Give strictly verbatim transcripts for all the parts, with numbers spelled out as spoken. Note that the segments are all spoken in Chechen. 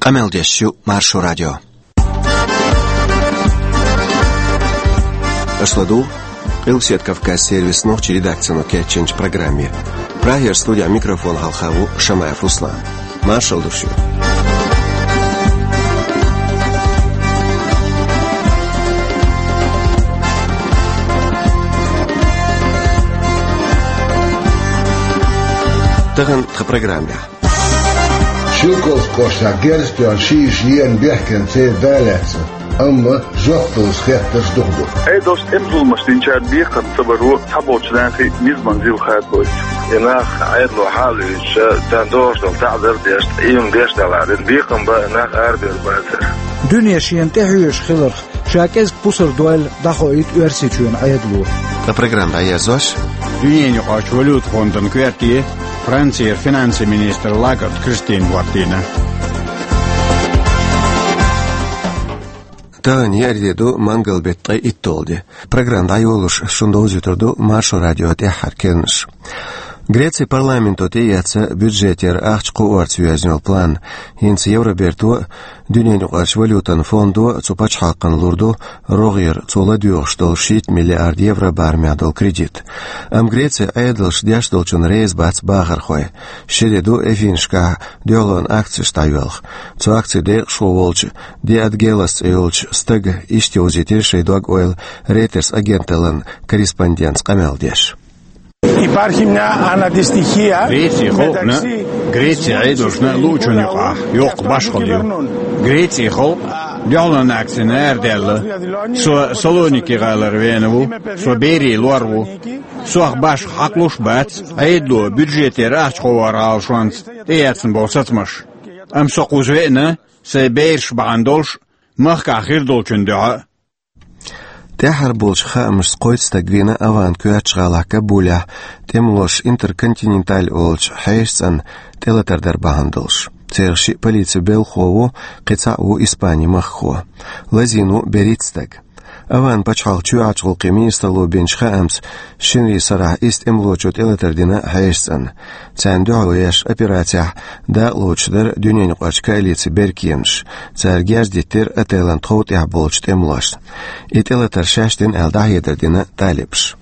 Къамел деш ю Маршо радио. Аша ладугӀу Къилбаседа Кавказ сервисан нохчийн редакцино кечйинчу программе. Прагера студехь микрофон хьалха ву Шамаев Руслан. Маршалла ду шуьга. Тахана тхан программехь. Шелковски кӀоштахь герз тоьхна ши йиша ена бехкенца церан да лаьцна, амма жоп далуш хеттарш дукха ду. Ӏедалша тӀеман зуламаш динчара бекхам ца баро цхьаболчу нахе низаман зил хадабойту. И нах Ӏедало хьалуьйцуш, царна догӀуш долу таӀзар а деш, ийман деш далахь дина бекхам бан нах арабевр бацара. Дуьне шена тӀехьоьжуш хиларх ша кӀезиг пусар дойла дӀахоуьйту Оьрсийчоьнан Ӏедало. Ткъа программа дӀаерзош, дуьненаюкъарчу валюта фондан коьрте Францера финансийн министр Лагард Кристина хӀоттийна. Тахана еарин де ду, мангал беттан ткъе итталгӀа де. Программа дӀайолош шуна довзуьйтур ду Маршо радион тӀаьххьара керланаш. Грецин парламенто тӀеэцна бюджетера ахча кхоорца йоьзна йолу план. ХӀинца Евроберто а, Дуьненаюкъарчу валютан фондо а цу пачхьалкхана лур ду рогӀера цо ладоьгӀуш долу шийтта миллиард евро барамехь долу кредит. Амма Грецин Ӏедалша деш долчунна реза бац бахархой. Ши де ду Эфинашкахь дуьхьалонан акцеш дӀайоьлху. Цу акцин декъашхо волчу Диадгелас цӀе йолчу стага иштта йовзийтира шайн дог-ойла Рейтерс агенталлин корреспондентца къамел деш. Υπάρχει μια αναντιστοιχία Грецийн халкъана, μεταξύ Грецин Ӏедалшна а луучунна юкъахь йоккха башхалла ю. Грецийн халкъ дуьхьалонан акцина арадаьлла. Со Салоники гӀалара веана ву, со берийн лор ву. Сох башха хьакхалуш а бац Ӏедало бюджетера ахча кхооран Ӏалашонца тӀеэцна болу сацамаш. Амма со кхуза веана, сайн бераш бахьана долуш, махкахь хир долчун дуьхьа а. ТӀаьххьара болчу хаамашца кхойтта стаг вийна АвгӀан коьртачу гӀалахь Кабулехь тӀемалоша Интерконтиненталь олучу хьешан цӀенна тӀелатар дар бахьана долуш. Царах шиъ полицин белхахо ву, кхин цхьаъ ву Испанин махкахо. Лазийна ву берхӀитта стаг. АвгӀан пачхьалкхан чоьхьарчу гӀуллакхийн министралло бинчу хаамца, шинарин сарахь исс тӀемалочо тӀелатар дина хьешан цӀенна. Царна дуьхьал еш операцехь дакъалоцуш дара Дуьненаюкъарчу коалицин беркеманаш. Цара герз диттира отелан тхов тӀехь болчу тӀемалошна. И тӀелатар шаьш дина аьлла дӀахьедар дина талибаша.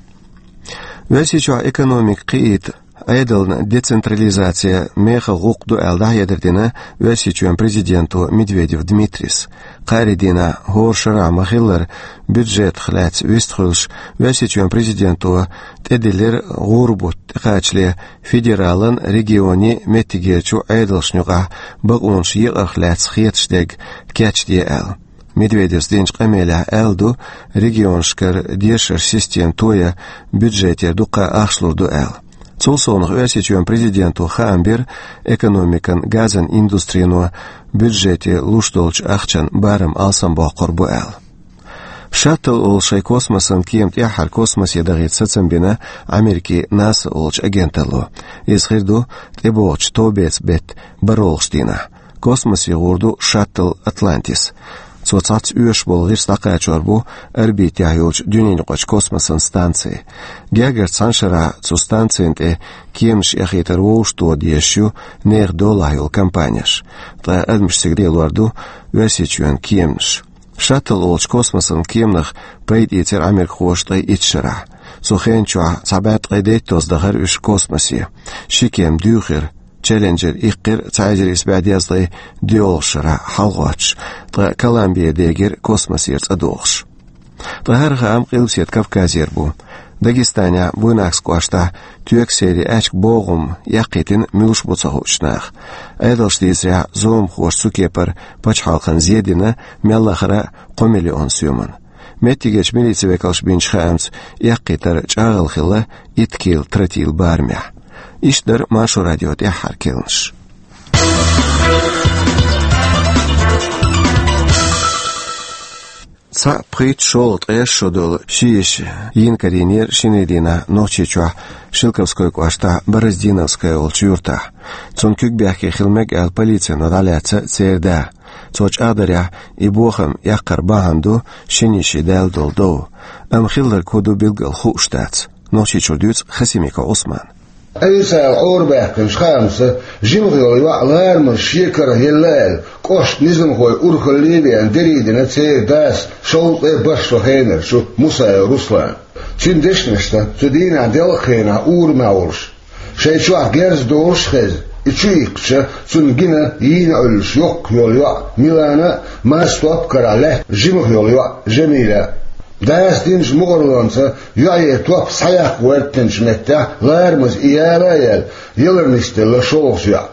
Оьрсийчохь экономика кхиийта Ӏедална децентрализация мехала гӀуллакх ду аьлла дӀахьедар дина Оьрсийчоьнан президенто Медведев Дмитрийс. Кхаарин дийнахь хӀора шарахь ма-хиллара бюджетах лаьцна вистхуьлуш, Оьрсийчоьнан президенто тӀедиллира гӀуран бутт тӀекхачале федералан, регионийн, меттигерчу Ӏедалшна юкъахь бакъонаш екъарх лаьцна хеташ дерг кечде аьлла. Медведевс динчу къамелехь аьлла ду, регионашкара дешаран система тоян бюджетера дуккха а ахча лур ду аьлла. Цул совнаха Оьрсийчоьнан президенто хаам бира, экономикан, газан индустрино бюджете луш долчу ахчан барам алсамбоккхур бу аьлла. Шаттл олу шайн космосан кема тӀаьххьара космосе дахийта сацам бина Америкин НАСА олучу агенталло. Иза хир ду тӀебогӀучу товбеца беттан бархӀолгӀачу дийнахь. Космосе гӀур ду шаттл «Атлантис». Цо цхьацца оьшуш болу гӀирс дӀакхачор бу орбитехь йолчу дуьненаюкъарчу космосан станци. Гергарчу цхьана шарахь цу станцина тӀе кеманаш эхийтар вовшахтоха дезаш ю нехан долахь йолу компанеш. Ткъа адамаш цига лелор ду Оьрсийчоьнан кеманаш. Шаттл олучу космосан кеманах пайда ийцира америкахоша ткъе итт шарахь. Цу хенан чохь цхьа бӀе ткъе дейтталц дахара уьш космосе. Ши кема дуьйхира. Челленджер иккхира цхьа эзар исс бӀе дезткъе доьалгӀачу шарахь хьалагӀоттуш, ткъа Колумбия дегира космосера цӀа дохуш. Ткъа хӀара хаам Къилбаседа Кавказера бу. Дагестанехь Буйнакск кӀоштахь тоька серийн аьчка богӀум эккхийтина муьлш бу ца хуучу наха. Ӏедалша дийцарехь, зуламхоша цу кепара пачхьалкхана зен дина мел лахара кхо миллион соьман. Меттигерчу милицин векалша бинчу хаамца, эккхийтар чӀагӀалла хилла итт кила тротил барамехь. Иштта дара Маршо радион тӀаьххьара керланаш. Цхьаъ пхийтта шолгӀа ткъе шо долу ши йиша йина карийнера шинарин дийнахь Нохчийчохь Шелковской кӀоштахь Бороздиновская олучу юьртахь. Цунна куьг бехке хила мега аьлла полицино дӀалаьцна церан да. Цо чӀагӀдарехь, и бохам эккхар бахьана ду шина йишин даьлла долу дов. Амма хилларг хӀун ду билггал хууш дац. Нохчийчуьра дуьйцу Хасимиков Ӏусмана. Ӏийсала Ӏорабаьккхинчу хаамца, жимах йолу йоӀ ларамаза шен карах елла аьлла, кӀоштан низамхой урхалле а веана, дерриг дина церан дас шовзткъе бархӀ шо хенарчу Мусаев Руслана. Цуьнан дешнашна, цу дийнахь делкъа хенахь урамехь волуш, шайн чохь герз долуш а хезна, и чу иккхича, цунна гина йийна Ӏуьллуш йоккха йолу йоӀ Милана а, массо а топ карахь лаьтта жимах йолу йоӀ Жамиля а. Дас динчу мукъарлонца йоӀе топ схьаяккха гӀоьртинчу меттехь ларамаза и яла а яьлла, ялар нисделла шолгӀачу йоӀа.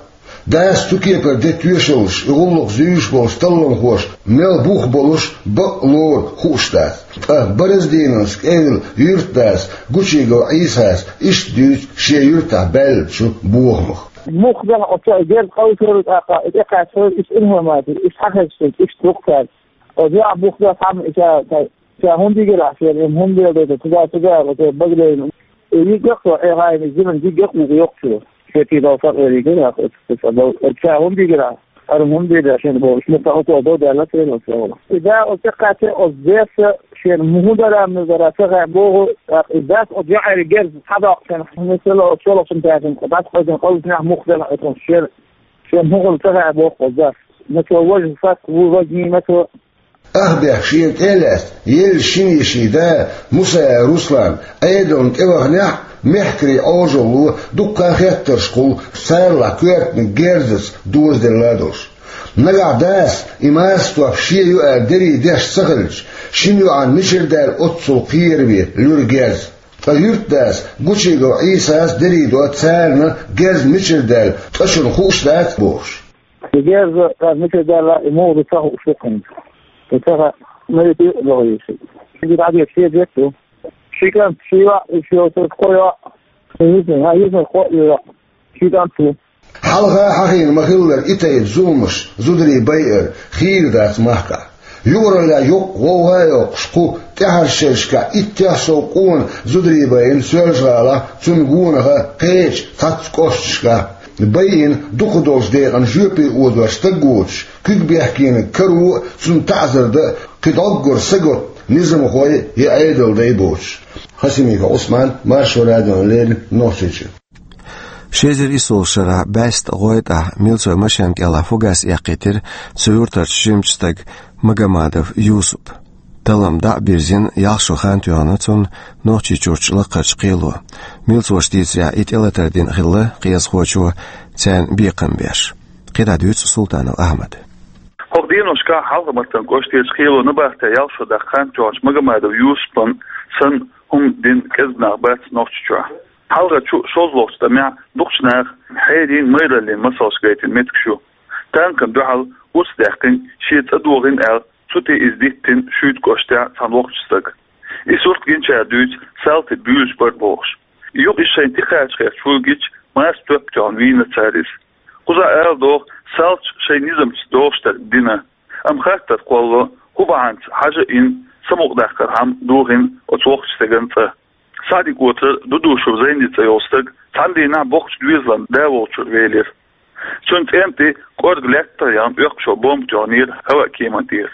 Дас цу кепара де тоьшаллаш, и гӀуллакх зуьйш болчу талламхоша мел бух болуш, бакъ лору хууш дац. Ткъа Бараздиновск кӀевлла юьртдас Гучигов Ӏийсас иштта дуьйцу шен юьртахь баьллачу бохамах. Муха баьхьа оцу герз къовсур, тӀаккха и тӀекхаьчча, иштта информаци, иштта хьахезча, иштта бу-кх цаьрга. Оцу йоӀа бух баьхьа хьама и ша, ша хӀунда йигира ахь шена, хӀунда леладайтар, цуьнга, цуьнга, оцу багалейна. И йиггакъ со, Ӏехайна, зиман йиггакъ ву йоккхачо. Шен кийрал сакъериг гира, оцу, оцу, оцу, ша хӀунда йигира ахь? Ара хӀунда дийр шена бохуш, муьтта хӀокхо дов даьлла церан оцу чохь. И да оцу тӀекхаьчча, оцу дерса шена муха дара, муха дара ца хаьа боху, тӀаккха и дас оцу йоӀера герз схьадоккху шена, хӀун ца ло оцу шолгӀачун тӀаьхьа дӀасакхайкхина къовсинехь муха дара оцу шена, шена хӀун хилла ца хаьа боху оцу дас. Мацо важа сак ву, важа нина мацо. Ахбехк шена тӀе а лаьцна, елла шина йишин да Мусаев Руслан Ӏедална тӀеваханехь а, мехкарийн Ӏожалло дуккха а хеттарш хуьлу, царалахь коьртаниг герзаца дозаделла а долуш. Нагахь дас и массо а топ шен ю аьлла дерриг деш ца хилча, шина йоӀана мичара даьлла оццул кхераве луьра герз. Ткъа юьртдас Гучигов Ӏийсас дерриг до царна герз мичара даьлла, ткъа шуна хууш дац бохуш. И герз царна мичара даьлла, и муха ду ца хууш ду-кх хӀинца. И ца хаьа, ма витий а догӀийша. Ши дӀадоьду шен дерг ду. Ши кӀант, ши йоӀ, и шен йоцург кхо йоӀ. Йисна, хьан йисна кхо а йоӀ. Ши кӀант ву. Хьалха хьахийна ма-хиллара и тайпа зуламаш, зударий байар, хийра дац махкахь. Юкъараллехь йоккха гӀовгӀа а йоккхуш, кху тӀаьхьарчу шерашкахь иттех сов къона зударий байина Соьлжа-ГӀалахь, цунна гонах а кхечу цхьацца кӀошташкахь. Байина дукхах долчу декъана жоьпе озош стаг воцуш, куьг бехкениг каро а, цунна таӀзар дан а кхин дӀоггара сагатта низамхой я Ӏедалдай боцуш. Хасимиков Ӏусман, Маршо радиона леррина, Нохчийчоь. Ши эзар исс шарахь бӀаьста гӀойтӀахь милцойн машен кӀелахь фугас эккхийтира цу юьртарчу жимачу стага Магомадов Юсупа. Таллам дӀа а бирзина, ялх шо хан тоьхна цунна Нохчийчуьрчу лакхарчу кхело. Милцоша дийцарехь, и тӀелатар дина хилла кхиазхочо, царна бекхам беш. КхидӀа дуьйцу Султанов Ахьмада. ХӀокху деношкахь Хьалха-Мартан кӀоштарчу кхело набахтехь ялх шо даккха хан тоьхначу Магомадов Юсупна санна хӀума дина кӀезиг нах бац Нохчийчохь. Хьалхарчу шолгӀачу тӀамехь дукхачу наха хьерийн, майраллин масалш гайтина меттигаш ю. Танкана дуьхьал урс даьккхина, шен цӀа дохийна аьлла, цу тӀе иза диттина Шуьйта кӀоштехь цхьана воккхачу стага. И сурт гиначара дуьйцу, салтий буьйлуш бара бохуш. Юха иза шайна тӀекхача гӀерташ вуьлгича, марсачу тоьппа тоьхна вийна цара иза. Кхузахь ала догӀу, салташа шайн низамца догӀуш дерг дина. Амма хаттар кхоллало, хӀун бахьанца хьажа а йина, самукъадаккхархьама дохийна оцу воккхачу стеган цӀа. СаӀди-ГӀоцара Дудушев Зайни цӀе йолу стаг цхьана дийнахь боккхачу доьзалан да волчуьра велира. Цуьнан цӀенна тӀе кӀорга лаьттах яхна оьккхачо бомба тоьхнера хӀаваъ кеман тӀера.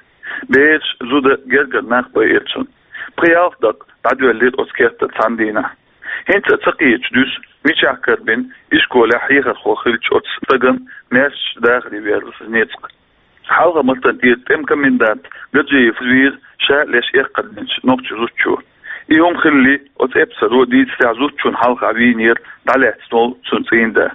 Бераш, зуда, гергара нах байира цунна. Пхи-ялх дакъа дӀадоьллира оцу кертара цхьана дийнахь. ХӀинца а ца кхеташ дуьсу, мичахь карабина ишколехь хьехархо хиллачу оцу стагана маьршачу дахаре верлаза ницкъ. Хьалха-Мартан тӀера тӀеман комендант Гаджиев вийра ша леш эккхар динчу нохчийн зудчо. И хӀума хилале, оцу эпсаро дийцарехь, зудчунна хьалха вийнера дӀалаьцна волу цуьнан цӀийнда.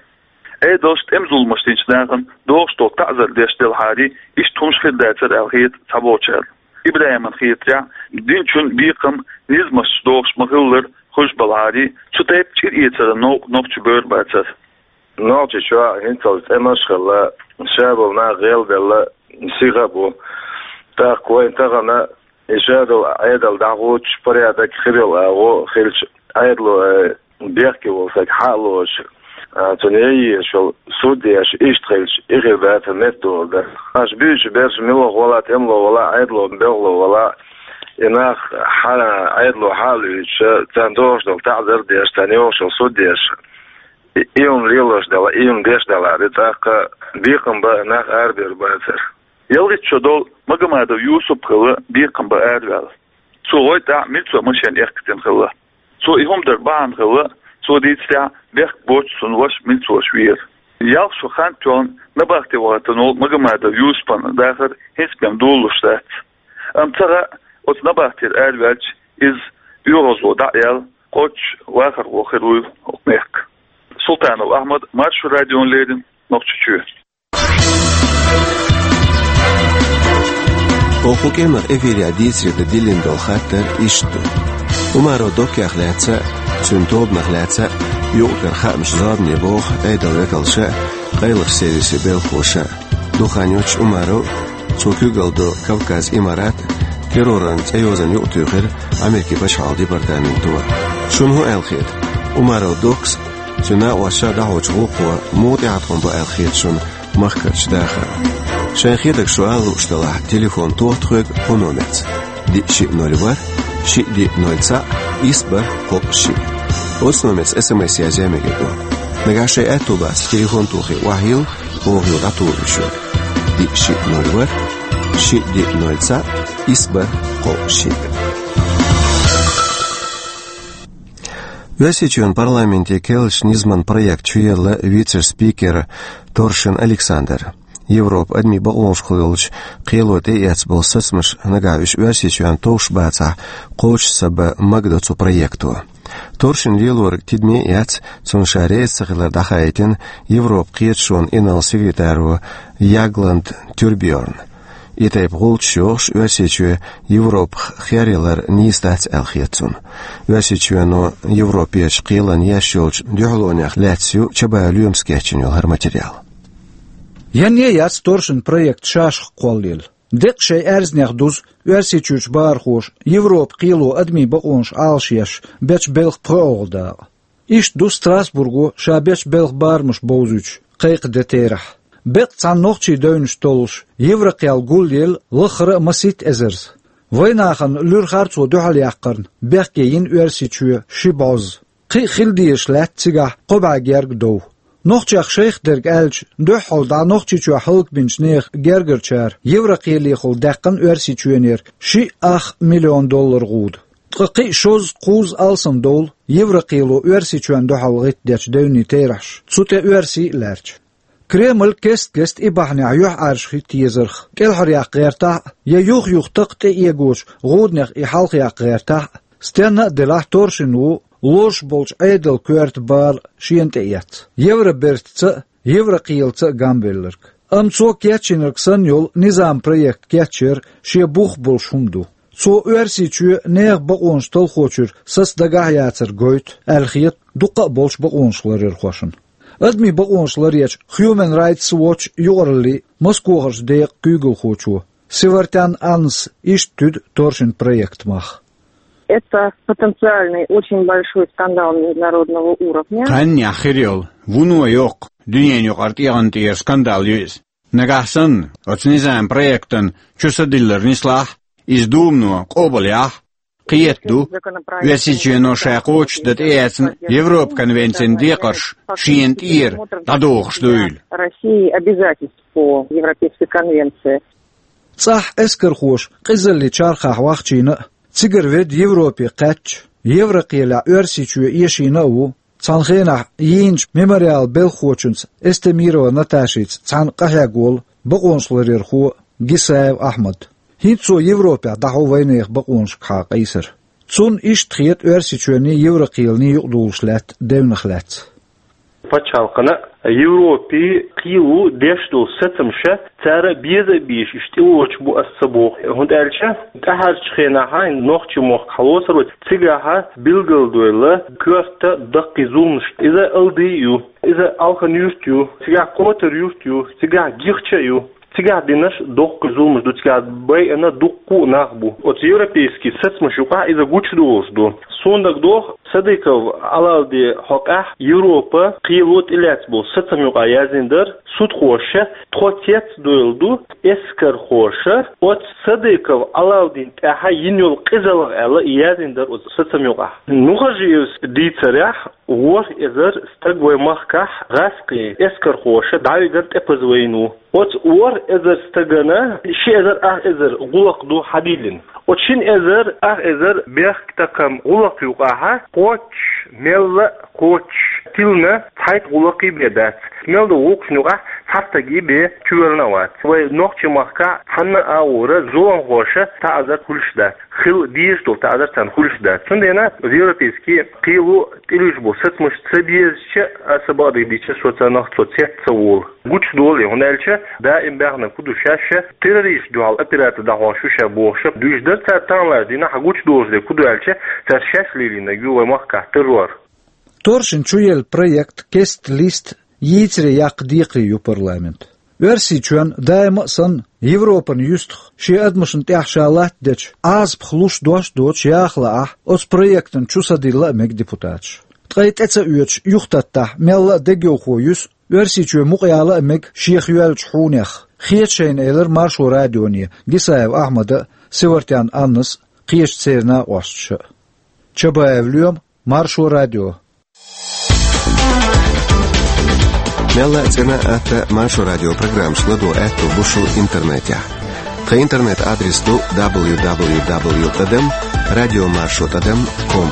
Ӏедалша тӀеман зуламаш динчу нахана догӀуш долу таӀзар деш делахьарий, иштта хӀумаш хир дацара аьлла хета цхьаболчарна. ИбрахӀимна хетарехь, динчун бекхам низамашца догӀуш ма-хиллара хуьлуш балахьарий, цу тайпа чӀир эцаран новкъа нохчийн бер бацара. Нохчийчохь хӀинццалц тӀемаш а хилла, ша болу нах гӀелделла сиха а бу. ТӀаккха вайн тахана и ша долу Ӏедал дӀахӀуттуш, порядок хир йолу агӀо хилча, Ӏедало, э, бехке волу стаг хьа а лоцуш, а, цунна ян езаш йолу суд еш, иштта хилча, и хир дацара меттадолу дар. Аша буьйцучу берш мила вала, тӀемало вала, Ӏедало, белхало вала, и нах хьа, Ӏедало хьа а луьйцуш, царна догӀуш долу таӀзар а деш, царна йогӀуш йолу суд еш. И, и хӀума лелош дела, и хӀума деш делахьара, тӀаккха бекхам бан нах арабевр бацара. ЯлхӀитта шо долу Магомадов Юсуп хилла бекхам бан араваьлла. Цо гӀойтӀахь милцойн машен эккхийтина хилла. Цо и хӀума дар бахьана хилла, Цо дийцарехь, бехк боццуш цуьнан ваша милицош вера. Ялх шо хан тоьхна набахте вахийтина волу Магомадов Юсупан дахар хӀинца бен долалуш дац. Амма ца хаьа, оцу набахтера араваьлча, иза оьгӀазло дӀа а яьлла, кхоччуш вахархо хир вуй хӀокху мехкан. Султанов Ахьмад, Маршо радиона леррина, Нохчийчоь. Оха кху кӀиранах эфирехь дийцаре дан диллина долу хаттар иштта ду. Умаров Доккех лаьцна а, цуьнан тобанах лаьцна а юкъара хаамаш зорбане боху Ӏедалан векалша а, къайлахчу сервисийн белхахоша а. Дукха хан йоццуш Умаров а, цо куьйгалла долу Кавказ Имарат а терроран цӀе йозанна юкъатуьйхира Америкин пачхьалкхан департаменто. Шуна хӀун аьлла хета? Умаров Доккас а, цуьнан накъосташа а дӀахьочу гӀуллакхо муха тӀеӀаткъам бу аьлла хета шуна махкарчу дахарна? Шайн хетарг шу ала лууш делахь, телефон тоха тхоьга кху номерца: диъ шиъ ноль ворхӀ, шиъ диъ ноль цхьаъ, исс бархӀ кхоъ шиъ. Оцу номерца СМС язъян мегар ду. Нагахь шайн аьтто бацахь, телефон тохий охьайилла, оха юха дӀатухур ю шуьга. Диъ шиъ ноль ворхӀ, шиъ диъ ноль цхьаъ, исс бархӀ кхоъ шиъ. Оьрсийчоьнан парламентан керлачу низаман проект чуелла вице-спикер Торшин Александр. Европан адамийн бакъонашкахула йолчу кхело тӀеэцна болу сацамаш, нагахь уьш Оьрсийчоьнна товш бацахь, кхочуш са бан магадо цу проекто. Торшин лелориг тидаме а эцна, цунна ша реза ца хилар дӀахаийтина Европан кхеташонан инарла секретаро Ягланд Тюрбьерна. И тайпа гӀулчаш йохуш, Оьрсийчоь Европах хер ялар нийса дац аьлла хета цунна. Оьрсийчоьно Европерчу кхелана еш йолчу дуьхьалонех лаьцна ю чабан лоьмас кечйина йолу хӀара материал. Янне а яц Торшин проект шашха кхоллаелла. Деккъа шайн аьрзнех дузу Оьрсийчуьрчу бахархоша Европан кхело адамийн бакъонаш Ӏалашъеш бечу белхан пхоьалгӀа дакъа. Иштта ду Страсбурго ша бечу белхан барамаш бовзуьйтуш кхайкха де терахь. Беккъа цхьана нохчийн девнаш толлуш, Еврокхел гулъелла лаххара а масийтта эзарза. Вайнахана луьрхьара цо дуьхьал яккхарна бехке йина Оьрсийчоь ши бӀозза. Кхин а хила дезаш лаьтта цигахь кхо бӀе герга дов. Нохчех шайх дерг аьлча, дуьххьал дӀа Нохчийчохь хӀаллакбинчу нехан гергарчара Еврокхелехула даьккхина Оьрсийчоьнера шиъ ах миллион доллар гӀуда. Ткъа кхин а шозза-кхузза алсамдовла Еврокхело Оьрсийчоьнна дуьхьал гӀиттадечу девнийн терахьаш, цу тӀе оьрсий а лаьрча. Кремль кест-кеста и бахьанехь юьхьӀаьржа хӀитта езарх, кӀелхьаръяккха гӀертахь а, я юх-юха такха тӀеэгочу гӀуданех и хьалхаяккха гӀертахь а, стенна а делахь, Торшин ву лозуш болчу Ӏедалан коьрта бала шена тӀеэцна, Евробертаца а, Еврокхелаца а гамбелларг. Амма цо кечйинарг санна йолу низам проект кечъяр шен бух болуш хӀума ду. Цо Оьрсийчоь нехан бакъонаш талхочуьра саца дагахь а яцар гойту аьлла хета дуккха а болчу бакъонашларъярхошна. Адамийн бакъонаш ларъечу Human Rights Watch юкъараллин Москохарчу декъан куьйгалхочо Севартян Аннас иштта туьду Торшин проектан мах. Это потенциальный очень большой скандал международного уровня. Кхаьннех хир йолу, вуно йоккха, дуьненан юкъара тӀегӀан тӀера скандал ю иза. Нагахь санна, оцу низам проектан чу са диллар нислахь, иза Думано къобалъяхь, кхета ду, Оьрсийчоьно ша кхочушдан тӀеэцна Европан конвенцин декхарш шена тӀера дӀадохуш дуйла. России обязательств по Европейской конвенции. ЦӀахь эскархоша къизаллин чархахь вахчийна а, цигара ведда Европе кхаьчча, Еврокхелехь Оьрсийчоь эшийна а ву, цхьана хенахь йийначу Мемориалан белхахочуьнца Эстемирова Наташица цхьаьна къахьегна волу бакъонашларъярхо Гисаев Ахьмад. ХӀинца цо Европехь дӀахьо вайнехан бакъонашкахьа къийсар. Цунна иштта хета Оьрсийчоьнний, Еврокхелний юкъадолуш лаьтта девнах лаьцна. Пачхьалкхана а, Европе а кхин а ву деш долу сацамаш, цара беза а безаш, иштта тӀевоьдуш бу ас ца боху, хӀунда аьлча тӀаьхьарчу хенахь нохчийн мохк хьалоцур вац, цигахь билгалдойла коьрта даккхий зуламаш. Иза Алдан ю, иза Алхан-Юрт ю, цигахь Котар-Юрт ю, цигахь Гихча а ю. Цигахь динарш доккхий зуламаш ду, цигахь байина дуккха а нах бу. Оцу европейский сацамаш юкъахь иза гучудолуш ду. Суна дагадогӀу, Садыков Алавди хьокъехь Европа кхело тӀелаьцна болу сацам юкъахь яздина дара, судхоша тхо цецдойла ду, эскархоша оцу Садыков Алавдин тӀехь йина йолу къизалла аьлла, и яздина дара оцу сацам юкъахь. Нухажиевс дийцарехь, ворхӀ эзар стаг вайн махкахь гӀаскхийн эскархоша дӀавигар тӀепаза вайна ву. Оцу ворхӀ эзар стагана ши эзар ах эзар гӀуллакх ду хьадиллина. Оцу шина эзар ах эзар бехктакхам гӀуллакх юкъахьа кхоччуш Мелла а кхоччуш тилина цхьайтта гӀуллакх бен дац. Мел ду гӀуллакхашна юкъахь цхьа стаг бен чувелла а вац. Вай нохчийн махкахь цхьанна а агӀора зуламхоша таӀзар хуьлуш дац. Хила дезаш долу таӀзар царна хуьлуш дац. Цундела европейский кхело тӀелуьйш болу сацамаш ца безача а, аса бакъдерг дийцича, со царнах цо цец ца волу. Гучудолу и, хӀунда аьлча даим баьхнарг хӀун ду шаьш, террористашна дуьхьал операци дӀахьош ю ша бохуш, дуьйцуш дара цара таханлерчу дийнахь, гучудолуш дерг хӀун ду аьлча, цара шаьш лелийнарг ю вай махкахь террор. Торшин чуелла проект «Кест-лист» йийцаре яккха декхаре ю парламент. Оьрсийчоьнна даима а санна, Европан юьстах шен адамашна тӀехь ша латтадечу Ӏазапах луш дош а доцуш яха лаахь, оцу проектана чу са дилла а мега депутаташ. Ткъа и тӀе ца оьцуш юхататтахь, мелла а дегайовхо юьсу, Оьрсийчоь мукъаяла а мега шех йоьллачу хьунех, хета шайна, элира Маршо радионе Гисаев Ахьмада а, Севартьян Аннас а, кхечу церан накъосташа а. Чабаев Лоьма, Маршо радио. Мелла а цӀена а, атта а Маршо радио программашка ладогӀа аьтто бу шун интернетехь. Тхан интернет-адрес ду дабл ю дабл ю дабл ю тӀадам радиомаршо тӀадам ком.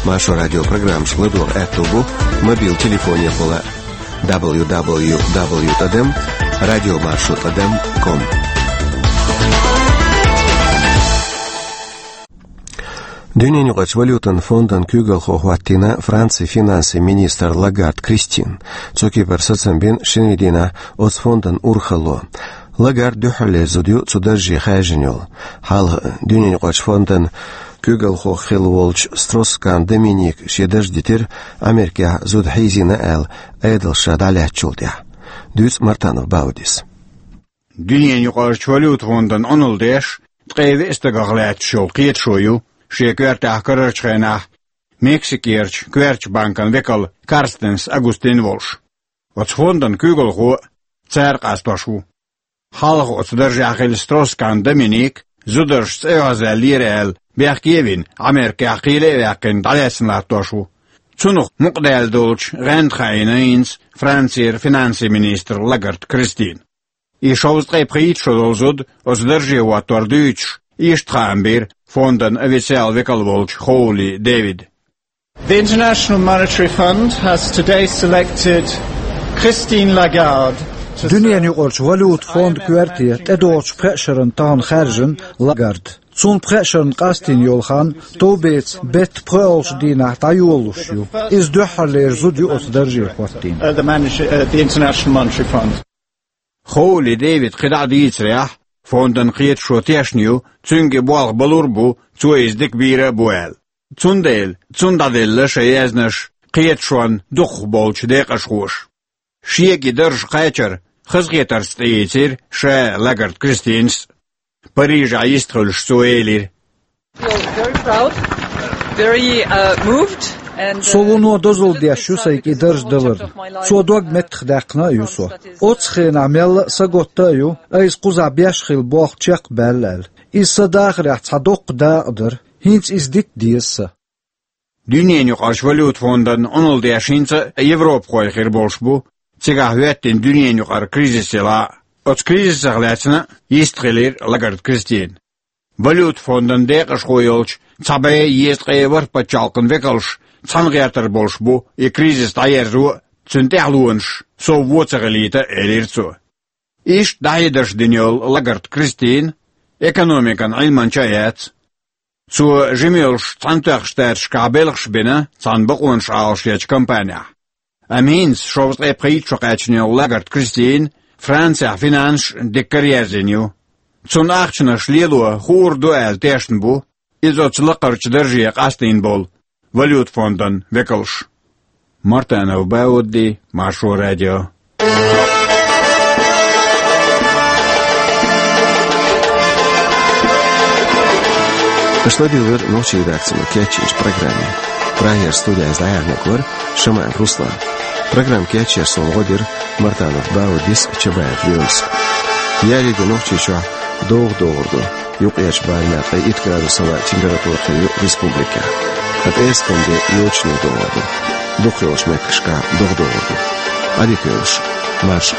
Маршо радио программашка ладогӀа аьтто бу мобил телефонехула а. дабл ю дабл ю дабл ю тӀадам радиомаршо тӀадам ком. Дуьненаюкъарчу валютан фондан куьйгалхо хӀоттийна Францин финансийн министр Лагард Кристин. Цу кепара сацам бина шинарин дийнахь оцу фондан урхалло. Лагард дуьххьарлера зуда ю цу дарже хаьржина йолу. Хьалха Дуьненаюкъарчу фондан куьйгалхо хилла волчу Стросс-Кан Доминика шен дарж дитира, Америкехь зуда хьийзийна аьлла, Ӏедалша дӀалаьцначул тӀаьхьа. Дуьйцу Мартанов Баудис. Дуьненаюкъарчу валюта фондан Ӏуналла деш, ткъе виъ стагах лаьтташ йолу кхеташо ю шен коьртехь карарчу хенахь Мексикерчу коьртачу банкан векал Карстенс Агустин волуш. Оцу фондан куьйгалхо а цара къастош ву. Хьалха оцу даржехь хилла Стросс-Кан Доминика зударшца оьгӀазваьллера аьлла, бехке а вина, Америкехь кхеле а ваьккхина, дӀалаьцна латтош ву. Цунах мукъадаьлла долчу гӀаьнда хаийна хӀинца Францера финансийн министр Лагард Кристин. И шовзткъе пхийтта шо долу зуда оцу дарже хӀоттор дуьйцуш, иштта хаам бира фондан официал векал волчу Хоули Дэвида. The International Monetary Fund has today selected Christine Lagarde to serve Дуьненаюкъарчу валюта фондан коьрте тӀедогӀучу пхеа шарна тахана хаьржина Лагард. Цунна пхеа шарна къастийна йолу хан товбеца беттан пхоьалгӀачу дийнахь дӀайолалуш ю. Иза дуьххьарлера зуда ю оцу дарже хӀоттийна. Uh, the manager, uh, the International Monetary Fund. Хоули Дэвида кхидӀа а дийцарехь, фондан кхеташо тешна ю, цуьнга и болх балур а бу, цо иза дика бийр а бу аьлла. Цундела цунна дӀаделла шайн яьзнаш кхеташонна дукхахболчу декъашхоша. Шега и дарж кхачар хазахетарца тӀеийцира ша а, Лагард Кристинас а. Парижехь йистхуьлуш цо элира: Feel very proud, very, uh, moved, and, uh, Со вуно дозалла деш ю сайга и дарж даларна. Цо дог меттахдаьккхина а ю со. Оццу хенахь мелла а сагатта а ю, айса кхузахь беш хилла болх чекх а баьлла аьлла. Иза сан дахарехь цхьа доккха дакъа дара. ХӀинца иза дита деза сан. Дуьненаюкъарчу валюта фондан Ӏуналла деш хӀинца а европахой хир болуш бу, цигахь хӀоьттина дуьненаюкъара кризис елахь а. Оцу кризисах лаьцна а йистхилира Лагард Кристин. Валюта фондан декъашхо йолчу цхьа бӀе езткъе ворхӀ пачхьалкхан векалш цхьаьна гӀертар болуш бу и кризис дӀаерзо а, цуьнан тӀаьхьалонаш сов вон ца хилийта а, элира цо. Иштта дӀахьедарш дина йолу Лагард Кристин экономикан Ӏилманча а яц. Цо жима йолуш Цхьаьнатоьхначу Штаташкахь белхаш а бина цхьана бакъонаш Ӏалашъечу компанехь. Амма хӀинца шовзткъе пхийтта шо кхаьчна йолу Лагард Кристин Францехь финансаш дикка а ерзийна ю. Цунна ахчанаш лело хуур ду аьлла тешна бу иза оцу лакхарчу дарже къастийна болу валюта фондан векалш. Мартанов Баудди, Маршо радио. Аша ладуьйгӀира нохчийн редакцино кечйинчу программе. Прагера студехь иза дӀаяьхьнарг вара Шамаев Руслан. Программа кечъярца суна гӀо дира Мартанов Баудис а, Чабаев Лоьмас а. Ялийга Нохчийчохь догӀа догӀур ду. Юккъерчу барамехь ткъе итт градусал температура хир ю республикехь. Ткъа пӀераскан де йочане догӀур ду. Дукхахйолчу меттигашкахь догӀа догӀур ду. Ӏадика йойла шун. Марша.